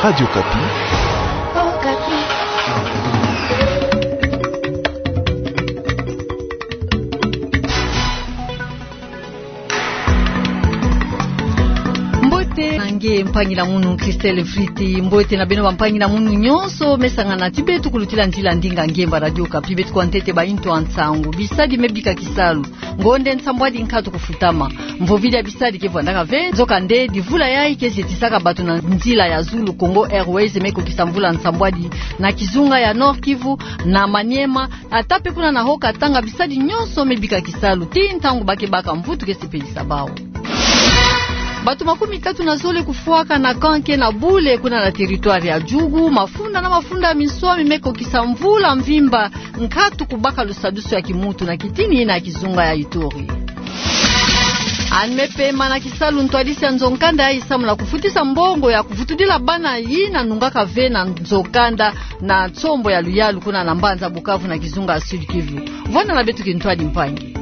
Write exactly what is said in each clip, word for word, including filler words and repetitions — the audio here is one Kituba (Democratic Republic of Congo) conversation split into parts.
Radio Okapi. Okapi. Mbote na nge mpangi na munu Christelle Mfriti, mbote na beno bampangi na munu nyonso me sangana ti beto kulutila nzila ndinga ngemba Radio Okapi. Beto kwa ntete baintu ya nsangu. Bisadi me bika kisalu. Ngonde nsambwadi nkatu kufutama. Mvovidi ya bisadi ke vwandaka ve. Nzokande, divula yayi ke zetisaka bato na nzila ya zulu Congo Airways me kokisa mvula nsambwadi na kizunga ya Nord-Kivu, na Maniema, ata pe kuna na Haut-Katanga, bisadi nyonso me bika kisalu, tii ntangu ba ke baka mvutu ke sepelisa bawu. Bato makumi tatu na zole kufwaka na camp ke na bule kuna na territoire ya Djugu, mafunda na mafunda ya minswami me kokisa mvula mvimba nkatu kubaka lusadusu ya kimuntu na kitini na kizunga ya Ituri. Anne pema na kisalu ntwadisi ya nzo-nkanda yayi samu na kufutisa mbongo ya kuvutudila bana yina nungaka ve na nzo-nkanda na nsombo ya luyalu kuna na mbanza Bukavu na kizunga ya Sud-Kivu. Vwanda na beto kintwadi mpangi.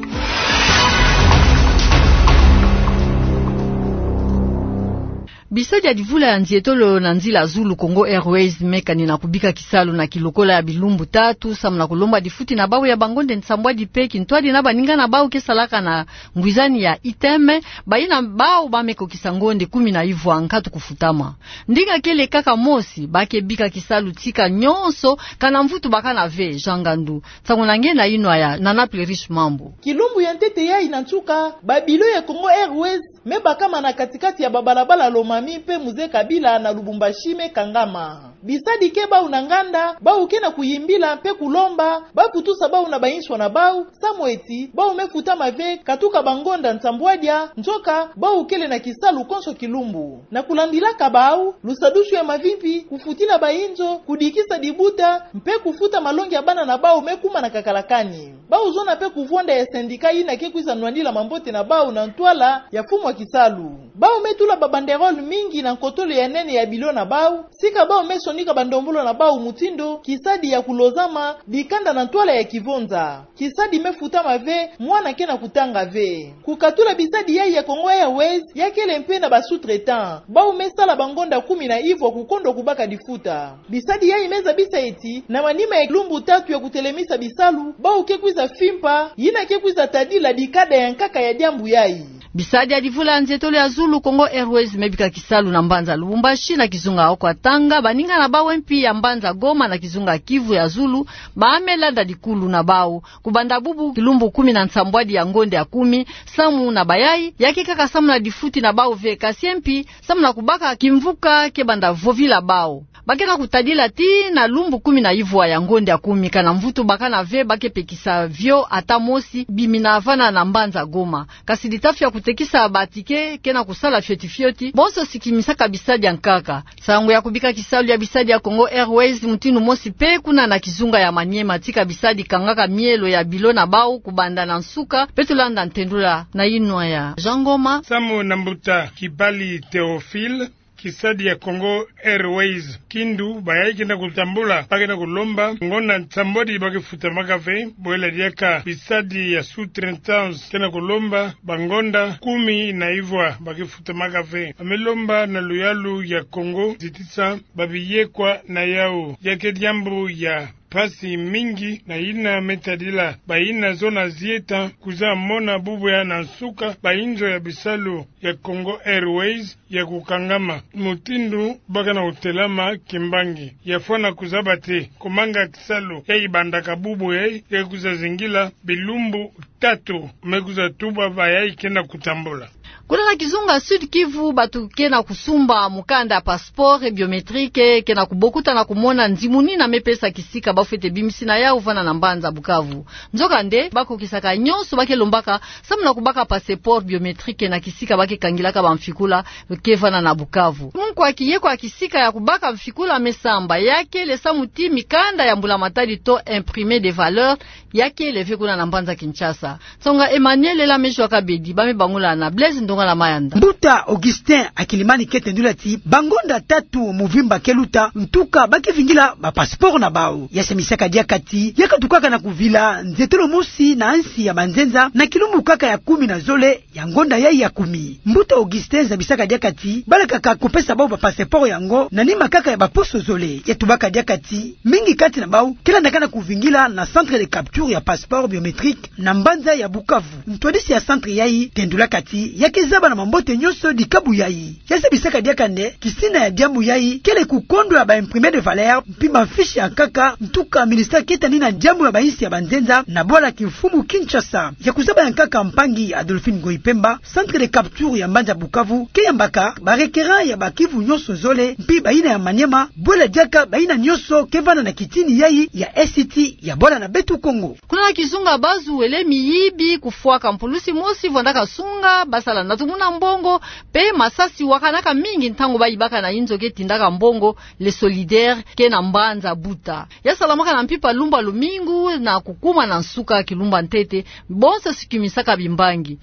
Bisadi ya divula ya nzietolo na nzila zulu Congo Airways me kani na kubika kisalu na kilokola ya bilumbu tatu, samu na kulomba difuti na bawu ya bangonde nsambwadi pe kintwadi na baninga na bawu ke salaka na ngwizani ya I T M, bayina bawu ba me kokisa ngonde kumi na ivwa nkatu kufutama. Ndinga kele kaka mosi, ba ke bika kisalu tika nyonso, kana mvutu bakana ve. Jean Ngandu. Nsangu na nge na yinwa ya Nana Plerish Mambu. Kilumbu ya ntete yayi na nsuka, ba bilo ya Congo Airways me bakama na kati-kati ya babalabala Lomami pe Mzee Kabila na Lubumbashi me kangama. Bisadi ke bawu na nganda, bawu ke na kuyimbila pe kulomba, ba kutusa bawu na bainswa na bawu, samu eti, bawu me futama ve, katuka bangonda nsambwadia, nzoka, bawu kele na kisalu konso kilumbu. Na kulandilaka bawu, lusadusu ya mavimpi, kufutila bainzo, kudikisa dibuta, mpe kufuta malongi ya bana na bawu me kuma na kakalakani. Bawu zona pe kuvwanda ya syndicat yina ke kwiza nwandila mambote na bawu na ntwala ya mfumu ya kisalu. Bawu me tula ba banderole mingi na nkotolo ya nene ya bilo na bawu, sika bawu me sonika bandombolo na bawu mutindu, kisadi ya kulozama, dikanda na ntwala ya kivonza. Kisadi me futama ve, mwana ke na kutanga ve. Kukatula bisadi yayi ya Congo Airways, ya kele mpe na ba sous-traitants. Bawu me sala bangonda kumi na ivwa kukondwa kubaka difuta. Bisadi yayi me zabisa eti, na manima ya lumbu tatu ya kutelemisa bisalu, bawu ke kwiza fimpa, yina ke kwiza tadila dikanda ya nkaka ya diambu yayi. Bisadi ya divula ya nzietolo ya zulu Congo Airways me bika kisalu na mbanza Lubumbashi na kizunga Haut-Katanga, baninga na bawu mpi ya mbanza Goma na kizunga Kivu ya zulu, ba me landa dikulu na bawu. Kubanda bubu kilumbu kumi na nsambwadi ya ngonda ya kumi, samu na bayayi, ya ke kaka samu na difuti na bawu ve kasi mpi, samu na kubaka kimvuka ke banda vovila bawu. Ba ke na kutadila tii na lumbu kumi na ivwa ya ngonda ya kumi kana mvutu bakana ve ba ke pekisa vio ata mosi bimina vana na mbanza Goma. Kasi ditafi ya kutekisa ba ticket ke na kusala fioti fioti, bonso sikimisaka bisadi ya nkaka. Nsangu ya kubika kisalu ya bisadi ya Congo Airways mutindu mosi pe kuna na kizunga ya Maniema tika bisadi kangaka mielo ya bilo na bawu kubanda na nsuka, beto landa ntendula na yinwa ya Jean Ngoma. Samu na mbuta Kibali Théophile, kisadi ya Congo Airways, kindu bayayi ke na kutambula, ba ke na kulomba ngonda nsambwadi ba ke futamaka ve, bwela diaka bisadi ya sous-traitance ke na kulomba bangonda kumi na ivwa ba ke futamaka ve. Ba me lomba na luyalu ya Congo zitisa babiyekwa na yawu. Ya ke diambu ya mpasi mingi na yina me tadila bayina zona zieta kwiza mona bubu ya na nsuka bainzo ya bisalu ya Congo Airways ya kukangama. Mutindu ba ke na kutelama kimbangi. Ya fwana kuzaba te, kumanga kisalu yayi bandaka bubu yayi, ya kwiza zingila bilumbu tatu, me kwiza tuba bayayi ke na kutambula. Kuna na kizunga Sud-Kivu, bato ke na kusumba mukanda ya passeport biométrique, ke na kubokuta na kumona nzimuni na me pesa kisika ba fwete bimisi na yawu vana na mbanza Bukavu. Nzokande, ba kokisaka nyonso ba ke lombaka, samu na kubaka passeport biométrique na kisika ba ke kangilaka bamfikula, ke vana na Bukavu. Munkwa kiyekwa kisika ya kubaka mfikula me samba, ya kele samu ti mikanda ya mbula matadi to imprimé de valeur, ya kele ve kuna na mbanza Kinshasa. Nsonga Emmanuel Ela Mejwa Kabedi, ba me bangula na Blaise Ndongala Mayanda. Mbuta Augustin Akilimani ke tendula ti, bangonda tatu muvimba ke luta, ntuka ba ke vingila ba passeport na bawu. Ya samisaka diaka ti, ya katukaka na kuvila nzietolo mosi na nsi ya banzenza, na kilumbu kaka ya kumi na zole ya ngonda yayi ya kumi. Mbuta Augustin zabisaka diaka ti, balakaka kupesa bawu ba passeport yango na nima kaka ya baposo zole. Ya tubaka diaka ti mingi kati na bau ke landaka na kuvingila na centre de capture ya passeport biométrique na mbanza ya Bukavu. Ntwadisi ya centre yai tendulaka ti ya ke zaba na mambote nyonso dikabu yai. Ya zebisaka diaka nde kisina ya diambu yai kele kukondwa ba imprimés de valeur mpi ba fiches ya nkaka. Ntuka ministère ke tani na diambu ya bainsi ya banzenza na bwala kimfumu Kinshasa. Ya kuzaba ya nkaka mpangi Adolphine Ngoyi Pemba, centre de capture ya mbanza Bukavu ke yambaka ba requérants ya ba Kivu nyonso zole mpi bayina ya Maniema, bwela diaka bayina nyonso ke vanda na kitini yai ya Est ya bwala na beto Kongo. Kuna na kizunga Bazuele, miyibi kufwaka mpulusi mosi vwandaka sunga basala na tumuna mbongo, mpe masasi wakanaka mingi ntango bayibaka na inzo ke tindaka mbongo, Les Solidaires, ke na mbanza Buta. Ya salamaka na mpimpa lumbu ya lumingu na kukuma na nsuka kilumbu ya ntete, bonso si kumisaka bimbangi.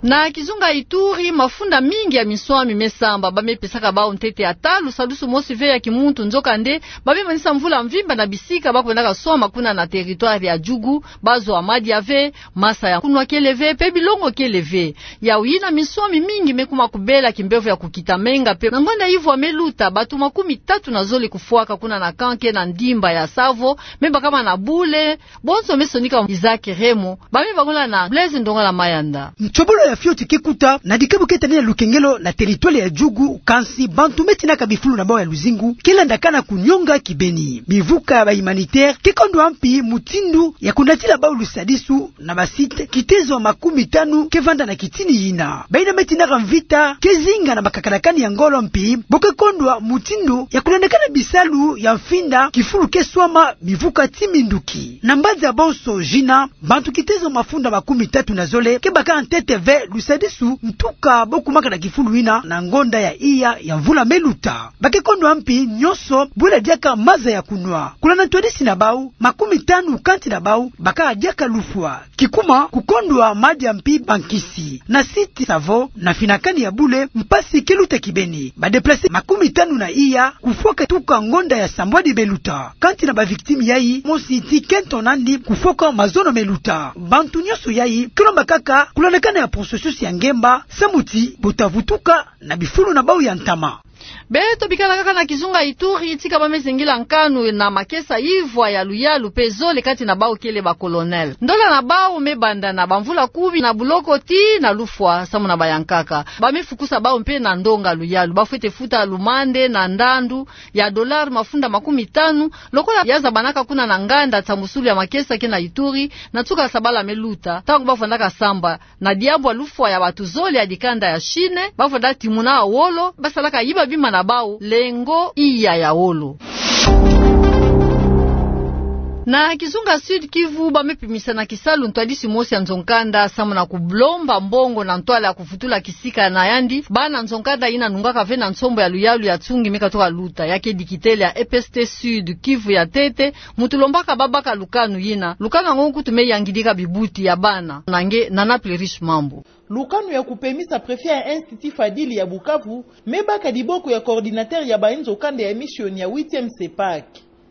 Na kizunga Ituri, mafunda mingi ya minswami me samba, ba me pesaka bau ntete ata lusadusu mosi ve ya kimuntu, nzokande ba me manisa mvula mvimba na bisika ba kwendaka swama kuna na territoire ya Djugu, ba zwa madia ve, masa ya kunwa kele ve, mpe bilongo kele ve. Yau yina minswami mingi me kuma kubela kimbevo ya kukita menga, mpe na ngonda yivwa me luta, bato makumi tatu na zole kufwaka kuna na camp ke na ndimba ya Savo, me bakama na bule, bonso me sonika. Isaac Remo, ba me bangula na Blaise Ndongala Mayanda. Nsobolo ya fioti ke kuta na dikabu ke tani na lukengelo na territoire ya Djugu, kansi bantu me tinaka bifulu na bau ya luzingu ke landaka na kunionga kibeni. Mivuka ya ba humanitaires ke kondwa mpi mutindu ya kunatila bau lusadisu na ba sites kitezo makumi tanu ke vanda na kitini yina. Bayina me tinaka mvita ke zinga na makakalakani ya ngolo mpi bo ke kondwa mutindu ya kulandakana bisalu ya mfinda kifulu ke swama mivuka ti minduki. Na mbanza bonso zina, bantu kitezo mafunda makumi tatu na zole ke baka ntete ve lusadisu, ntuka bo kumaka na kifulu yina na ngonda ya iya ya mvula me luta. Ba ke kondwa mpi nyonso bwela diaka maza ya kunwa. Kuna na ntwadisi na bau, makumi tanu kansi na bau baka diaka lufwa. Kikuma kukondwa madia mpi bankisi. Na site Savo, na finakani ya bule, mpasi ke luta kibeni. Ba déplacés makumi tanu na iya kufwaka tuka ngonda ya sambwadi me luta. Kansi na ba victimes yai, mosi ti kento nandi kufwaka mazono me luta. Bantu nyonso yai ke lomba kaka kulandakana ya processus ya ngemba, samu ti bo ta vutuka na bifulu na bau ya ntama. Beto bikala kaka na kizunga Ituri, tika ba me zingila nkanu na makesa ivwa ya luyalu mpe zole kati na bau kele ba colonels. Ndola na bau me banda na bamvula kumi na buloko tii na lufwa samu na bayankaka. Ba me fukusa bau mpe na ndonga luyalu. Ba fwete futa lumande na ndandu ya dollars mafunda makumi tanu, lokola ya zabanaka kuna na nganda nsambusulu ya makesa ke na Ituri, na nsuka ya sabala me luta, ntango ba fwandaka samba na diambu ya lufwa ya bato zole ya dikanda ya Chine, ba fwanda timuna wolo, ba salaka yiba bima na bau, lengo iya ya wolo. Na kizunga Sud-Kivu, ba me pimisa na kisalu ntwadisi mosi ya nzo-nkanda, samu na kulomba mbongo na ntwala ya kuvutula kisika na yandi bana nzo-nkanda yina nungaka ve na nsombo ya luyalu ya Tsungi me katuka luta, ya ke dikitele ya E P S T Sud-Kivu ya ntete, muntu lombaka ba baka lukanu yina. Lukanu yango nkutu me yangidika bibuti ya bana. Na nge Nana Plerish Mambu. Lukanu ya kupemisa préfet ya Institut Fadili ya Bukavu me baka diboko ya coordinateur ya bayi nzo-kanda ya mission ya huitième CEPAC.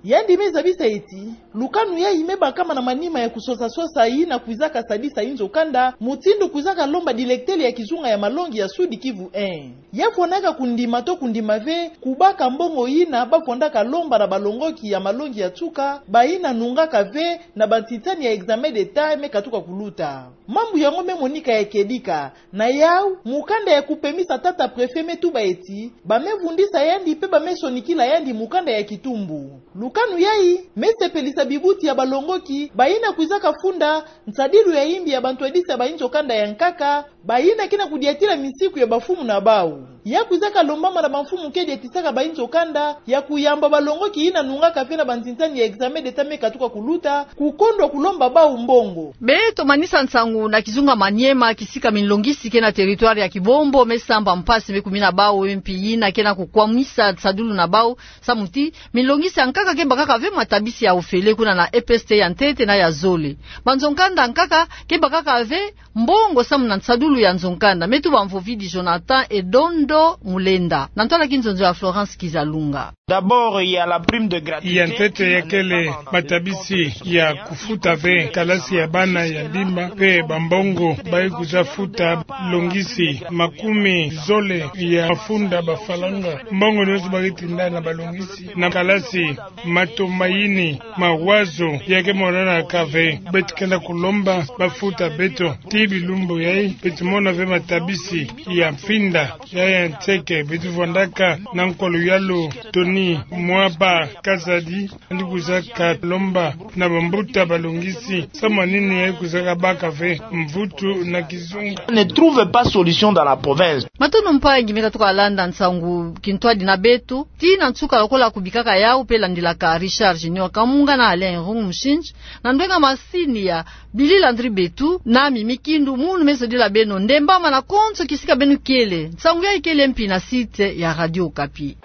Yandi me zabisa ti lukanu yayi me bakama na manima ya kusosa-sosa yina kwizaka sadisa nzo-kanda, mutindu kwizaka lomba dilektele ya kizunga ya malongi ya Sud-Kivu un. Ya fwanaka kundima to kundima ve kubaka mbongo yina ba fwandaka lomba na balongoki ya malongi ya nsuka, bayina nungaka ve na bantitani ya examen d'État me katuka kuluta. Mambu yango me monika ya kedika. Na yau, mukanda ya kupemisa tata préfet me tuba ti ba me vundisa yandi mpe ba me sonikila yandi mukanda ya kitumbu. Lukanu yayi me sepelisa bibuti ya balongoki, bayina kwizaka funda nsadilu ya yimbi ya bantwadisi ya bayi nzo-kanda ya nkaka, bayina ke na kudiatila misiku ya bamfumu na bau. Ya kwizaka lombama na bamfumu ke diatisaka bayi nzo-kanda ya kuyamba balongoki yina nungaka ve na bantitani ya examen d'État me katuka kuluta, kukondwa kulomba bau mbongo. Beto manisa nsangu na kizunga Maniema, kisika minlongisi ke na territoire ya Kibombo me samba mpasi me kumina bau, mpi yina ke na kukwamisa nsadulu na bau, samu ti minlongisi ya nkaka ke bakaka ve matabisi ya ofele kuna na E P S T ya ntete na ya zole. Banzo-nkanda ya nkaka ke bakaka ve mbongo samu na nsadulu ya nzo nkanda, me tuba mvovidi Jonathan Edondo Mulenda, na ntwala ki nzonzo ya Florence Kizalunga. D'abord, il y a la prime de gratuité. Ya ntete, ya kele matabisi ya kufuta ve kalasi ya bana ya bimba, pe bambongo bayi kwiza futa, longisi makumi zole ya mafunda bafalanga. Mbongo nionso baketi nda na balongisi na kalasi, mato mayini, mawazo, ya ke monanaka ve. Beto kenda kulomba bafuta beto. Tii bilumbu yayi, beto mona ve matabisi ya mfinda, ya ya nseke, beto vwandaka na nkwa luyalu Tony Mwaba Kazadi, andi kwizaka lomba na bambuta balongisi, samu nini yayi kwizaka baka ve mvutu na kizunga. Ne trouve pas solution dans la province. Matondo mpangi me katuka landa nsangu kintwadi na beto. Tii na nsuka, lokola kubikaka yawu pe landilaka Richard Junior Kamunga na Alain Rungu Mushinji, na ndwenga masini ya Billy Landry Betu, na Mimi Kindu, munu me sodila beno ndembama na konso kisika beno kele. Nsangu yayi kele mpi na site ya Radio Okapi.